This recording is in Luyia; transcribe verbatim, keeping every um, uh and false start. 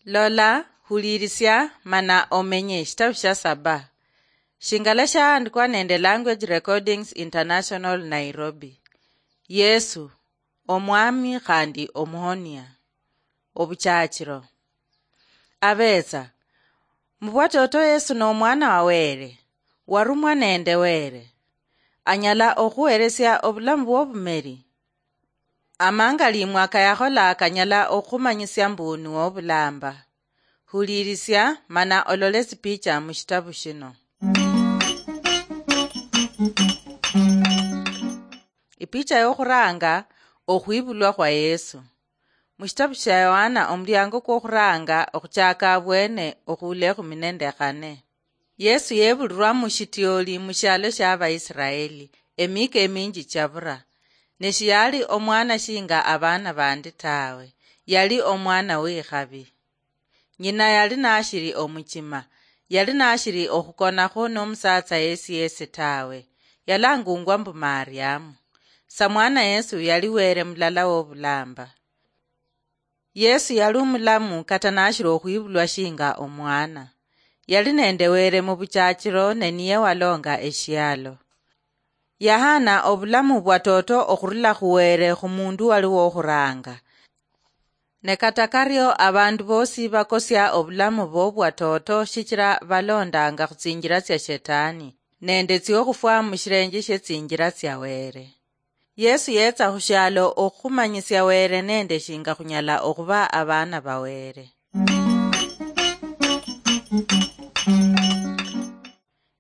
Lola, hulirisia, mana omenye. Shitabu sha saba. Shingala shaandikwa nende Language Recordings International, Nairobi. Yesu, Omwami khandi Omuhonia. Obuchachiro. Abetsa. Mubwatoto Yesu n'omwana wa Wele, warumwa nende Wele. Anyala okhuheresia obulamu bw'obumeri. Amangalimwa kayakhola kanyala okhumanyisia mbu niwe obulamba. Hulirisia mana olole tsipicha mushitabu shino. Ipicha yokhuranga, okhwibulwa khwa Yesu. Mushitabu shia Yohana, omuliango kwokhuranga, okhuchaka abwene, okhula ekhumi nende khane. Yesu yebulirwa mushitioli mushialo shia Abaisiraeli, emika eminji chabura. Ne shiyali omwana shinga abana bandi tawe, yali omwana wikhabi. Nyina yali nashiri omuchima, yali nashiri okhukonakho nomusatsa yesi yesi tawe, yalangungwa mbu Mariamu. Samwana Yesu yali Wele mulala wobulamba. Yesu yali omulamu kata nashiri okhwibulwa shinga omwana. Yali nende Wele mubuchachiro, ne niye walonga eshialo. Yahana obulamu bwatoto okhurula khu Wele khumundu wali wokhuranga. Ne kata kario, abandu bosi bakosia obulamu bobwatoto shichira balondanga khutsinjira tsia Shetani, nende tsiokhufwa mushirenje shietsinjira tsia Wele. Yesu yetsa khushialo okhumanyisia Wele nende shinga khunyala okhuba abana ba Wele.